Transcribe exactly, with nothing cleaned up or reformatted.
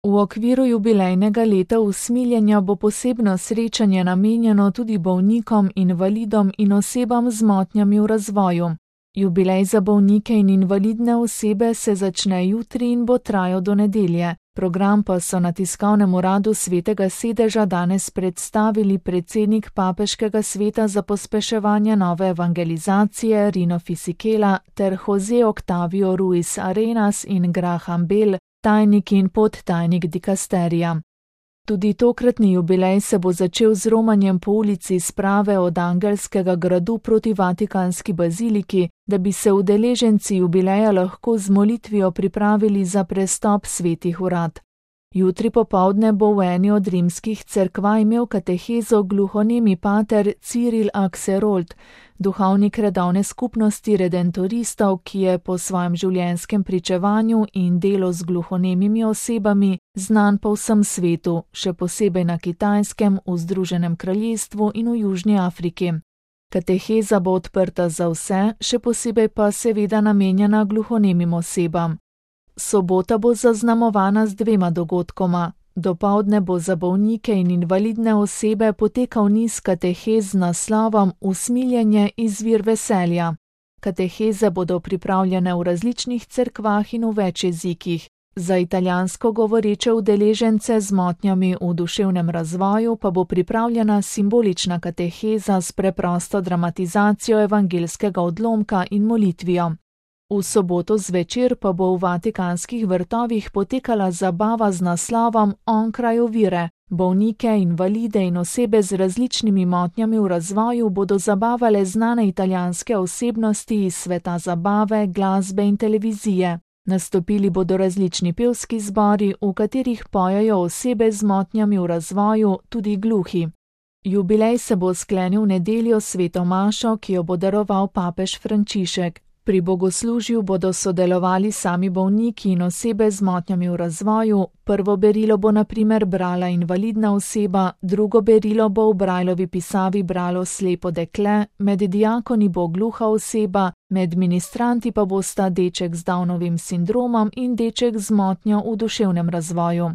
V okviru jubilejnega leta usmiljenja bo posebno srečanje namenjeno tudi bolnikom, invalidom in osebam z motnjami v razvoju. Jubilej za bolnike in invalidne osebe se začne jutri in bo trajal do nedelje. Program pa so na tiskovnem uradu Svetega sedeža danes predstavili predsednik Papeškega sveta za pospeševanje nove evangelizacije Rino Fisichella ter Jose Octavio Ruiz Arenas in Graham Bell, tajnik in podtajnik dikasterija. Tudi tokratni jubilej se bo začel z romanjem po ulici sprave od Angelskega gradu proti Vatikanski baziliki, da bi se udeleženci jubileja lahko z molitvijo pripravili za prestop svetih urad. Jutri popoldne bo v eni od rimskih cerkva imel katehezo gluhonemi pater Cyril Axelrod, duhovnik redovne skupnosti redentoristov, ki je po svojem življenjskem pričevanju in delu z gluhonemimi osebami znan po vsem svetu, še posebej na Kitajskem, v Združenem kraljestvu in v Južni Afriki. Kateheza bo odprta za vse, še posebej pa seveda namenjena gluhonemim osebam. Sobota bo zaznamovana z dvema dogodkoma. Dopoldne bo za bolnike in invalidne osebe potekal niz katehez z naslovom Usmiljenje izvir veselja. Kateheze bodo pripravljene v različnih cerkvah in v več jezikih. Za italijansko govoreče udeležence z motnjami v duševnem razvoju pa bo pripravljena simbolična kateheza s preprosto dramatizacijo evangelskega odlomka in molitvijo. V soboto zvečer pa bo v Vatikanskih vrtovih potekala zabava z naslovom Onkraj ovire. Bolnike, invalide in osebe z različnimi motnjami v razvoju bodo zabavale znane italijanske osebnosti iz sveta zabave, glasbe in televizije. Nastopili bodo različni pevski zbori, v katerih pojejo osebe z motnjami v razvoju, tudi gluhi. Jubilej se bo sklenil nedeljo s sveto mašo, ki jo bo daroval papež Frančišek. Pri bogoslužju bodo sodelovali sami bolniki in osebe z motnjami v razvoju. Prvo berilo bo na primer brala invalidna oseba, drugo berilo bo v Brajlovi pisavi bralo slepo dekle, med diakoni bo gluha oseba, med ministranti pa bosta deček z Downovim sindromom in deček z motnjo v duševnem razvoju.